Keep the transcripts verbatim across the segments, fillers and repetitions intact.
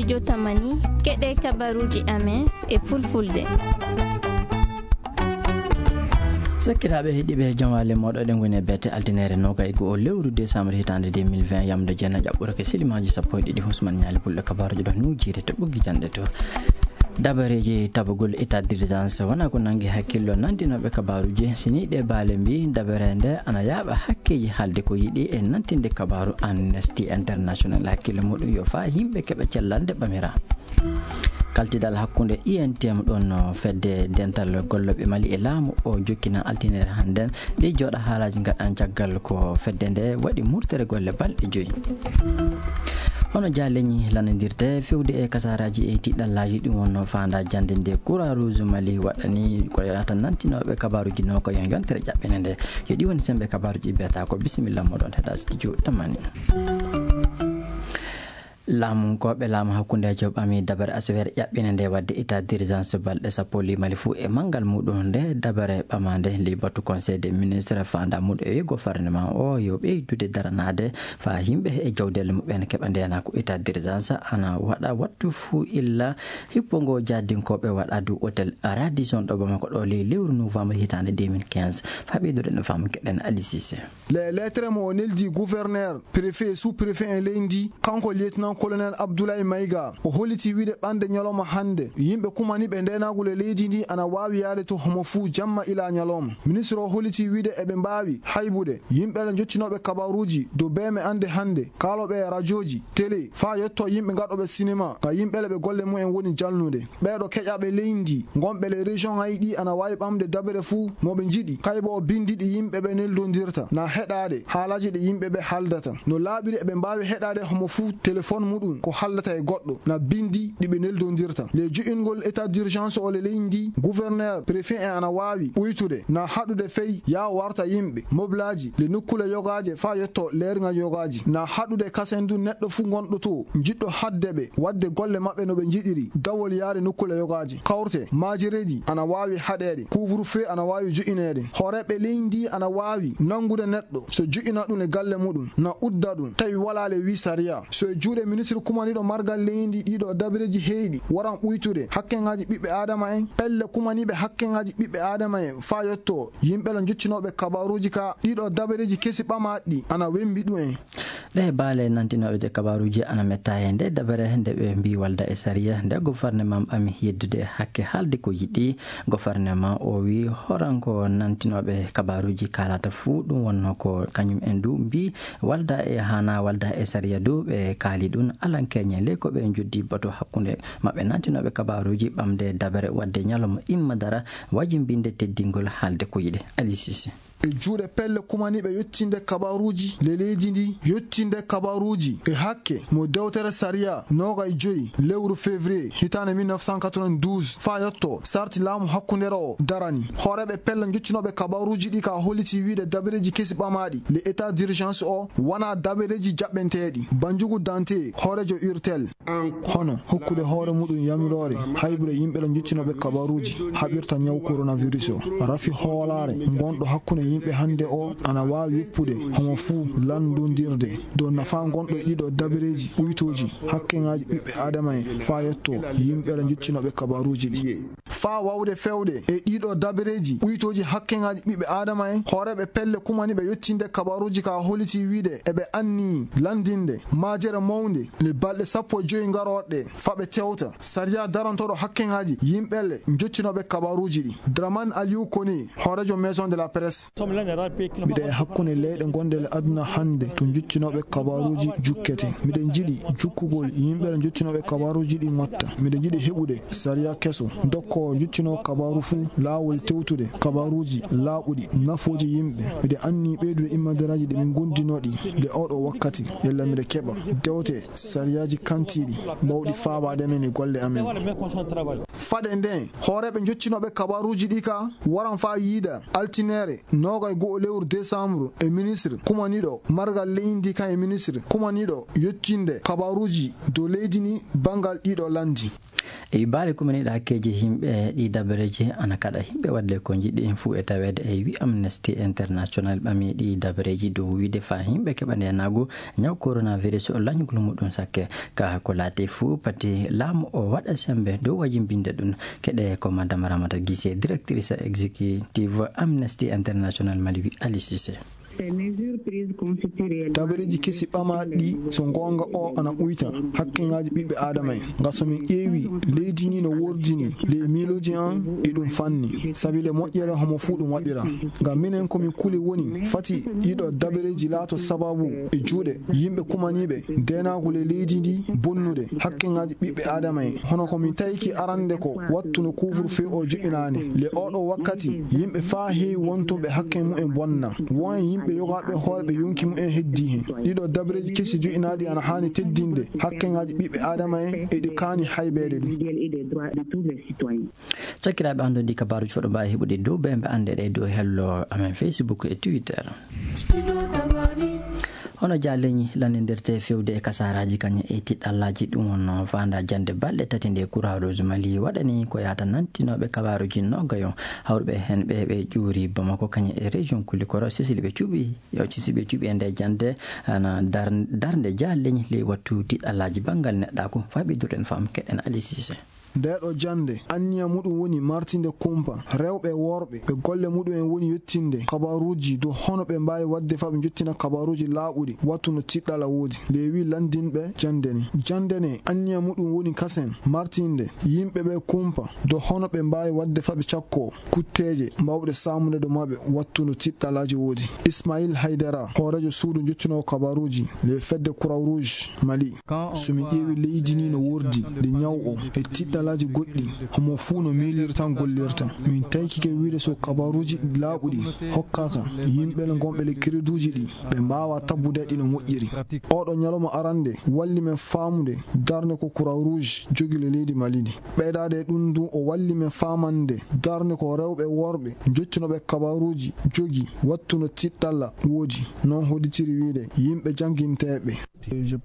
Jotamani, keɗe kabaruuji amen e fulfulde. Sakkiraaɓe heɗiiɓe, jom waale mooɗo, eɗen ngoni e bete altineere noogay e go'o lewru décembre hitaande deux mille vingt, yamde jeenay ƴaɓɓorake silimaaji sappo e ɗiɗi. Husman Ñaali Pulɗo, kabaaruuji ɗo nuujiire to ɓoggi janɗe to. Dabareeji tabugol état d'urgence wona ko nangi hakkillo nantinooɓe kabaaruuji. Si nii ɗee baale mbii, dabere nde ana yaaɓa hakkeeji haalde ko yiɗi e nantinde kabaaru. Amnesty International hakkillo muɗum yo faa yimɓe keɓa cellal nde ɓamiraa. Kaltidal hakkunde I N T M ɗon no fedde dental gollooɓe Mali e laamu o jokkina altineere hannden. Ɗi jooɗa haalaaji ngaɗan caggal ko fedde nde waɗi murtere golle balɗe joyi. Hono jaa leñi lanondirde fewde e kasaaraaji e tiɗallaaji, ɗum wonno faandaa jannde nde Croix Rouge Mali waɗani ko yonata nantinooɓe kabaaruuji no ko yon yontere ƴaɓɓene nde. Yo ɗi woni sembe kabaaruuji biyata ko bisimilla moɗon heɗa studio tamani. Laamunkooɓe laamu hakkundeejo ɓami dabare asawere ƴaɓɓine nde waɗde état d'urgence balɗe sappo limali fuu e manngal muɗum nde dabare ɓamaande li batu conseil des ministres faandaa muɗum e gouvernement o yo ɓeydude daranaade faa yimɓe e jawdeele muɓɓen keɓa ndeenaa ko état d'urgence ana waɗa wattu fuu illa hippo ngo jahdinkooɓe waɗa du hôtel Radisson ɗo Bamako ɗo ley lewru novembre hitaande deux mille quinze. Faa ɓeydude no faamu keɗen Ali Cissé. Les lettres mo o neldi gouverneur, préfet, sous-préfet en leydi, kanko lieutenant colonel Abdoulaye Maïga, o holiti wiide ɓande ñalawma hannde, yimɓe kumaniiɓe ndeenaagol e leydi ndi ana waawi yaade to homo fuu jamma ila ñalawma. Ministre o holiti wiide eɓe mbaawi haybude yimɓe jottinooɓe kabaaruuji dow beeme ande hannde, kaalooɓe e rajooji, télé, faa yotto yimɓe gaɗooɓe sinema, ka yimɓe ɓe golle mumen woni jalnude. Ɓeeɗo keƴaaɓe leydi ngonɓe le région aji ɗi ana waawi ɓamde dabere fuu mo ɓe njiɗi, kaybo o binndi ɗi yimɓe ɓe neldondirta, na heɗaade haalaaji ɗi yimɓe ɓe haaldata. No laaɓiri eɓe mbaawi heɗaade homo fuu téléphone muɗum ko haaldata e goɗɗo, na binndi ɗi ɓe neldondirta. Le jo'ingol état d'urgence o le leydi, gouverneur, préfet en ana waawi ɓuytude, na haɗude fey yaa warta yimɓe, moblaaji, le nokkuule yogaaje faa yotto leerŋa yogaaji, na haɗude kasen du neɗɗo fuu gonɗo to, jiɗɗo haɗde ɓe waɗde golle maɓɓe no ɓe njiɗiri, dawol yaade nokkuule yogaaji. Kawte, maajereeji ana waawi haɗeede, couvre-feu ana waawi jo'ineede. Hooreeɓe leydi ana waawi nanngude neɗɗo, so jo'ina ɗum e galle muɗum, na udda ɗum, tawi walaa le wii sariya. So e juuɗe ministre kumaniiɗo margal leydi ɗiɗo dabareeji heyɗi, waran ɓuytude hakkeŋaaji ɓiɓɓe aadama en, pelle kumaniiɓe hakkeŋaaji ɓiɓɓe aadama en, faa yotto yimɓe la jottinooɓe kabaaruuji ka ɗiɗo dabareeji kesi ɓamaaɗi ɗi ana wembi ɗum en. Ɗee baale nantinooɓe kabaaruuji ana metta e nde dabere nde ɓe mbii walda e sariya nde gouvernement ɓami yeddude hakke haalde ko yiɗi. Gouvernement o wii horanko nantinooɓe kabaaruuji kaalata fuu ɗum wonno ko kañum en du mbii walda e haana walda e sariya du ɓe kaali ɗum alankeñe le ko ɓe joddi batu hakkunde maɓɓe nantinooɓe kabaaruuji ɓamde dabere waɗde ñalawma imma dara wajimbinde teddingol haalde ko yiɗi. Ali Cissé. E juuɗe pelle kumaniiɓe yottinde kabaaruuji le leydi ndi, yottinde kabaaruuji e hakke mo dewtere sariya noogay joyi lewru février hitaande mille neuf cent quatre-vingt-douze faa yotto sarti laamu hakkundeere o darani. Hooreeɓe pelle jottinooɓe kabaaruuji ɗi ka holliti wiide dabareeji kesi ɓamaaɗi le état d'urgence o wonaa dabareeji jaɓɓenteeɗi. Banjugu Dante, hooreejo urtel. Hono hokkude hoore muɗum yamiroore haybude yimɓe la jottinooɓe kabaaruuji haɓirta ñaw coronavirus o. Rafi hoolaare ngonɗo hakkunde yimɓe hannde o ana waawi yoppude homo fuu lanndondirde dow nafaa ngonɗo e ɗiɗo dabareeji ɓuytooji hakkeŋaaji ɓiɓɓe aadama en faa yotto yimɓe la jottinooɓe kabaaruuji ɗi. Faa waawde fewde e ɗiɗo dabareeji ɓuytooji hakkeŋaaji ɓiɓɓe aadama en, hooreeɓe pelle kumaniiɓe yottinde kabaaruuji ka holliti wiide eɓe anniyi lanndinde maajere mawnde le balɗe sappo e joyi ngarooɗe ɗe, faa ɓe tewta sariya darantooɗo hakkeŋaaji yimɓe le jottinooɓe kabaaruuji ɗi. Draman Aliou Koné, hooreejo Maison de la Presse. Miɗo e hakkunde leyɗe gonɗe le aduna hannde to jottinooɓe kabaaruuji jukkete. Miɗo njiɗi jukkugol yimɓe le jottinooɓe kabaaruuji ɗi ŋotta. Miɗo njiɗi heɓude sariya keso, dokko jottinoo kabaaru fuu laawol tewtude kabaaruuji laaɓuɗi, nafooji yimɓe. Miɗo anni ɓeydude immadaraaji ɗi min ngonndinoo ɗi nde oɗo wakkati, yalla miɗo keɓa dewte sariyaaji kantiiɗi, mawɗi faabaade men e golle amen. Fade nden, hooreeɓe jottinooɓe kabaaruuji ɗi ka waran faa yiida altineere, noogay go'o lewru décembre, e ministre kumaniiɗo margal leydi kan e ministre kumaniiɗo yottinde kabaaruuji dow leydi ni banngal ɗiɗo lanndi. E baale kumaniiɗe hakkeeji yimɓe, ɗi dabareeji ana kaɗa yimɓe waɗde ko njiɗi fuu e taweede. E wi Amnesty International ɓami ɗi dabareeji dow wiide faa yimɓe keɓa ndeenaagu ñaw coronavirus o lañgol muɗum sakke. Ka ko laati fuu pati laamu o waɗa semmbe dow wajimbinde ɗum. Keɗe ko Madame Ramata Gise, directrice exécutive Amnesty International Mali, wi Ali Cissé. Tabareeji kesi ɓamaaɗi ɗi, so ngoonga o ana ɓuyta hakkeŋaaji ɓiɓɓe aadama en. Nga so min ƴeewi leydi ni no wordini ley miilooji an, e ɗum fanni sabi le moƴƴere homo fuu ɗum waɗira. Ngam minen ko min kuli woni fati ɗiɗo dabareeji laato sababu e juuɗe yimɓe kumaniiɓe ndeenaagu ley leydi ndi bonnude hakkeŋaaji ɓiɓɓe aadama en. Hono ko min tawiki arande ko wattu no couvre-feu o jo'inaani. Le oɗo wakkati yimɓe faa heewi wontuɓe hakke mumen bonna. Won e yimɓe yogaaɓe hoore ɓe yonki mumen heddii hen. Ɗiɗo dabareeji kesi jo'inaaɗi ana haani teddinde hakkeŋaaji ɓiɓɓe aadama en e ɗi kaani haybeede ɗum. Sakiraaɓe, anndon ɗi kabaaruuji fof ɗo mbaawi heɓude dow bembe annde ɗe dow hello amen Facebook e Twitter. Hono Jaa Leñi lanndirte fewde e kasaaraaji kañum e tiɗɗallaaji, ɗum wonno faanda jannde balɗe tati nde Croix Rouge Mali waɗani ko yaata nantinooɓe kabaaruuji noogayo, hawruɓe heen ɓe ɓe ƴuuri Bamako kañum e région Kulikoro. Sisili ɓe cuɓi, yo sisili ɓe cuɓi e nde jannde ana dar-, darnde Jaa Leñi ley wattu tiɗɗallaaji banngal neɗɗaaku. Faa ɓe durɗen fam keɗen Ali Cissé. Ndeeɗo jannde, anniya muɗum woni martinde kumpa rewɓe e worɓe ɓe golle muɗum en woni yettinde kabaaruuji dow hono ɓe mbaawi waɗde faa ɓe njottina kabaaruuji laaɓuɗi wattu no tiɗɗalla woodi. Leewi lanndinɓe jannde ni. Jannde ne, anniya muɗum woni kasen martinde yimɓe ɓe kumpa dow hono ɓe mbaawi waɗde faa ɓe cakkoo kutteeje mawɗe saamude ɗo maɓɓe wattu no tiɗɗallaaji woodi. Ismail Haydara, hooreejo suudu njottinoowo kabaaruuji le fedde Croix Rouge Mali. So min ƴeewi leydi ni no wordi nde ñaw o e tiɗɗallaaji goɗɗi, homo fuu no miiliri tan gollirta. Min taykike wiide so kabaaruuji laaɓuɗi hokkaaka yimɓe le ngonɓe le crédituuji ɗi, ɓe mbaawa tabbude ɗi no moƴƴiri. Oɗo ñalawma arande walli men faamude darnde ko Croix Rouge jogi le leydi Mali ndi. Ɓeydaade e ɗum ndu o walli men faamande darnde ko rewɓe e worɓe njottinooɓe kabaaruuji jogi wattu no tiɗɗalla woodi. Noon hollitiri wiide yimɓe jannginteeɓe.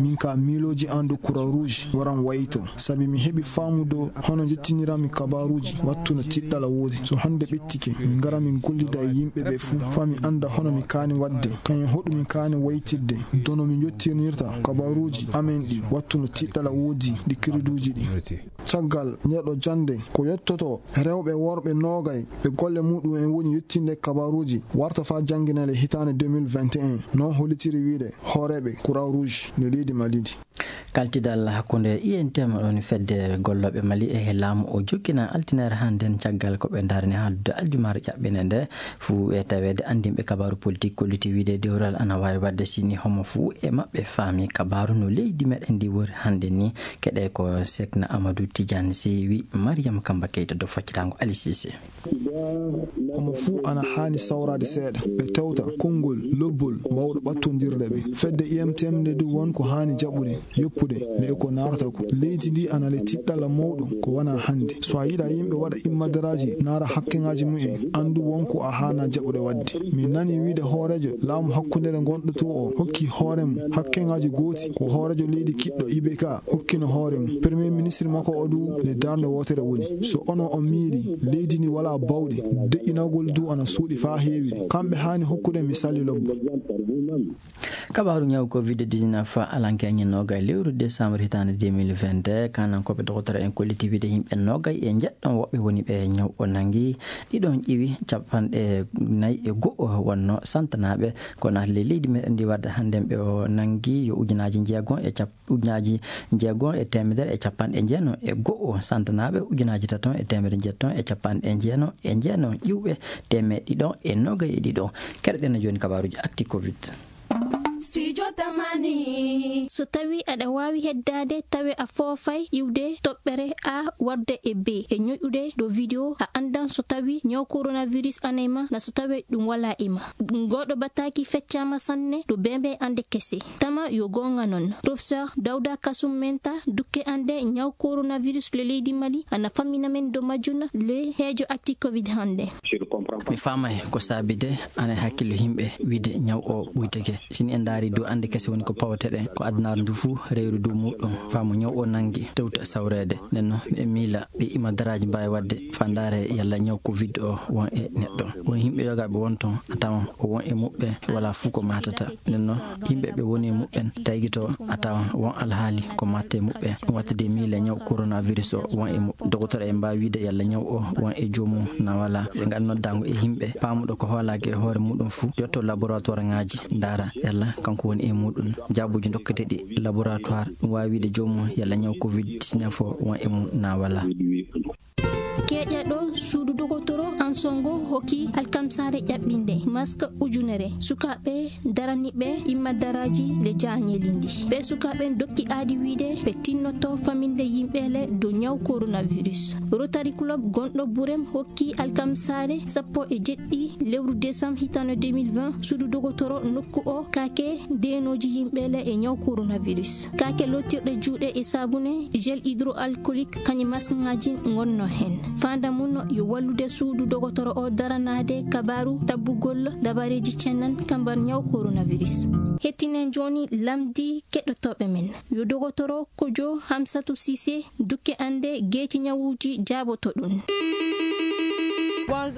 Min ka miilooji an dow Croix Rouge waran wayto, sabi mi heɓi faamu dow hono njottiniranmi kabaaruuji wattu no tiɗɗalla woodi. So hannde ɓettike, min ngara min gollida e yimɓe ɓe fuu, faa mi annda hono mi kaani waɗde, kañum hoɗum mi kaani waytirde, dow no mi njottinirta kabaaruuji amen ɗi wattu no tiɗɗalla woodi ɗi crédituuji ɗi. Caggal ndeeɗo jannde, ko yottoto rewɓe e worɓe noogay ɓe golle muɗum en woni yettinde kabaaruuji warta faa jannginale hitaande deux mille vingt et un, noon hollitiri wiide hooreeɓe Croix Rouge no leydi Mali ndi. Kaltidal hakkunde I N T M, ɗon fedde gollooɓe Mali e laamu o jokkina altinaare hannden caggal ko ɓe ndarni haaldude aljumaare ƴaɓɓinde nde. Fuu e taweede anndinɓe kabaaru politik kolliti wiide dewral ana waawi waɗde sini homo fuu e maɓɓe faami kabaaru no leydi meɗen ndi wori hannde ni. Keɗe ko Sekna Amadou Tidiane Sewi, Mariam Kamba Keita do faccitaango Ali Cissé. Homo fuu ana haani sawraade seeɗa, ɓe tewta konngol lobbol mbaawɗo ɓattondirde ɓe. Fedde I M T M nde du won ko haani jaɓude, yoppude, nde e ko naarata ko. Leydi ndi ana le tiɗɗalla mawɗo ko wona hannde. So a yiɗa yimɓe waɗa immadaraaji, naara hakkeŋaaji mumen, anndu won ko a haana jaɓude waɗde. Min nani wiide hooreejo laamu hakkunde nde ngonɗo to o hokki hoore mum hakkeŋaaji gooti, ko hooreejo leydi kiɗɗo I B K hokkino hoore mum. Premier ministre makko o du nde darnde wootere woni. So ono on miiri leydi ndi walaa bawɗe, deƴƴinagol du ana suuɗi faa heewi. Kamɓe haani hokkude misali lobbo. Kabaaru ñaw covid dix-neuf alanke ñin noogay lewru décembre hitaande deux mille vingt-deux, kanankooɓe dokotoro en kolliti wiide yimɓe noogay e njeɗɗon woɓɓe woni ɓe ñaw o nangi, ɗiɗon ƴiwi capanɗe nayi e go'o wonno santanaaɓe ko naati ley leydi meɗen ndi wadde hannden ɓe o nangi yo ujunaaji njeegon e cap-, ujunaaji njeegon e teemedere e capanɗe jeenon e go'o santanaaɓe, ujunaaji taton e teemedere jeetton e capanɗe jeenon e jeenon ƴiwɓe, teemeɗe ɗiɗon e noogay e ɗiɗon. Keɗoɗen jooni kabaaruuji actu covid. Studio Tamani. So tawi aɗa waawi heddaade, tawe a foofay iwde toɓɓere A warde e B e ñoƴude ɗo video, a anndan so tawi ñaw coronavirus ana e ma, na so tawi ɗum walaa e ma. Ngooɗo bataki feccaama sanne ɗo bembe ande kese. Tama yo goonga non. Professeur Dawda Kasum Menta, dukke ande ñaw coronavirus le leydi Mali, ana fammina men do majjuna le heejo actu covid hannde. Mi faamay ko saabi de ana e hakkillo yimɓe wiide ñaw o ɓuytake. Sini en ndaari dow annde kese woni ko pawateɗen, ko Adunaaru ndu fuu rewri dow muuɗum, faa mo ñaw o nanngi tewta sawreede. Nden noon, miɗen miila ɓe imadaraaji mbaawi waɗde faa ndaaree yalla ñaw covid o won e neɗɗo. Won yimɓe yogaaɓe won toon, a tawan o won e muɓɓen, walaa fuu ko maatata. Nden noon, yimɓe ɓe woni e muɓɓen taygitoo, a tawan won alhaali ko maatta e muɓɓen. Ɗum waɗta de miila ñaw coronavirus o won e muɓɓen. Dokotoro en mbaawi wiide yalla ñaw o won e joomum naa walaa. Ɓe ngaɗa noddaango e yimɓe, paamuɗo ko hoolaaki e hoore muuɗum fuu, yotto laboratoire ŋaaji, ndaara yalla kanko woni e muuɗum. Jaabuuji ndokketeeɗi laboratoire, ɗum waawi wiide joomum yalla ñaw covid dix-neuf o won e mum naa walaa. Keƴaɗo suudu dogotoro Ansongo hokki alkamsaare ƴaɓɓinde mask ujunere sukaaɓe daraniiɓe imadaraaji le jaañeeli ndi. Ɓe sukaaɓe dokki aadi wiide ɓe tinnoto faminde yimɓe le dow ñaw coronavirus. Rotary Club gonɗo Burem hokki alkamsaare sappo e jeɗɗi lewru desam hitande deux mille vingt suudu dogotoro nokku o kaake deenooji yimɓe le e ñaw coronavirus. Kaake lootirɗe juuɗe e saabune, gel hydroalcoolique, kañum maskŋaaji ngonno heen. Faanda mum yo wallude suudu dogotoro o daranaade kabaaru tabbugol dabareeji ceennan kambar ñaw coronavirus. Hettinen jooni lamndi keɗotooɓe men. Yo dogotoro Kojo Hamsatou Cissé dukke annde geeci ñawuuji jaaboto ɗum.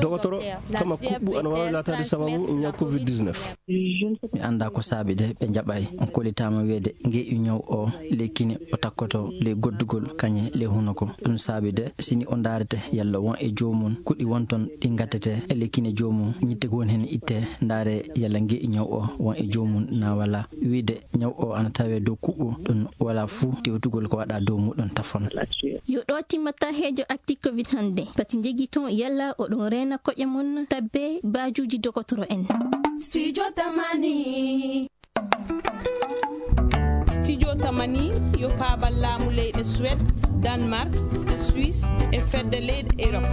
Dogotoro, kama kuɓɓu ana waawi laataade sababu ñaw covid dix-neuf. Mi anndaa ko saabi de ɓe njaɓaay. On kollitaama wiyeede ngeeƴu ñaw o ley kine o takkoto ley goddugol kañe ley hunoko. Ɗum saabi de sini o ndaarete yalla won e joomum kuɗi won toon ɗi ngattete e ley kine joomum, ñitte ko woni heen itte, ndaare yalla ngeeƴu ñaw o won e joomum naa walaa. Wiide ñaw o ana tawee dow kuɓɓu, ɗum walaa fuu tewtugol ko waɗaa dow muuɗum tafon. Yo ɗo timmata heejo Actu Covid hannde. Pati njegi toon yalla oɗon reena koƴe mon tabbe baajuuji dogotoro en. Studio Tamani. Studio Tamani yo paabal laamu leyɗe Suède, Danemark, Suisse e fedde leyɗe Europe.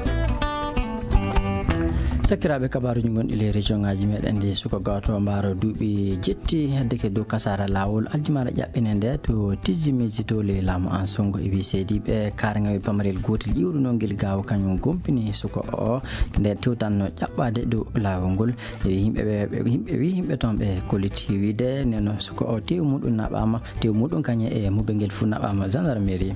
Sakiraaɓe, kabaaruuji ngonɗi ley région ŋaaji meɗen ɗi, suka gooto mbaaro duuɓi jetti heddeke dow kasaara laawol aljumaare ƴaɓɓine nde to Tizimiji to ley laamu Ansongo e wii seediiɓe kaaraŋaaɓe pamarel gootel iwrunoo ngel gaawo kañum gompini suka o nde tewtanno ƴaɓɓaade dow laawol ngol. E wii yimɓe ɓe, ɓe, yimɓe, wii yimɓe toon ɓe kolliti wiide neno suka o teewu muɗum naɓaama, teewu muɗum kañum e mubel ngel fuu naɓaama gendarmerie.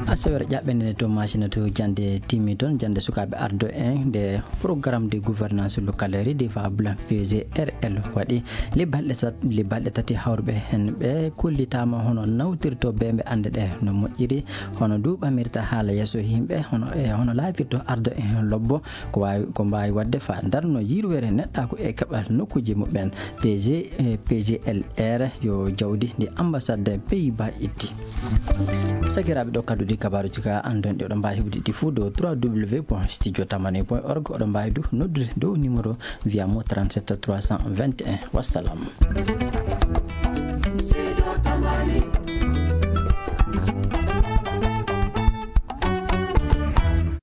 Asawere ƴaɓɓende nde to Macina to jannde timmi toon, jannde sukaaɓe ardo en nde programme de gouvernance locale redevable P G R L waɗi. Ley balɗe sat-, ley balɗe tati hawruɓe heen ɓe kollitaama hono nawtirto beembe annde ɗe no moƴƴiri, hono du ɓamirta haala yeeso yimɓe, hono, e hono laatirto ardo en lobbo, ko waawi, ko mbaawi waɗde faa darno yirwere neɗɗaaku e keɓal nokkuuji muɓɓen. P G, eh, P G L R yo jawdi ndi ambassade Pays-Bas itti. Sakiraaɓe, ɗo kadduɗi kabaaruuji ka anndon ɗi oɗon mbaawi heɓude ɗi fuu dow trois W point studio tamani point org. Oɗon mbaawi du noddude dow numéro via mo trente-sept trois cent vingt et un. Wassalam.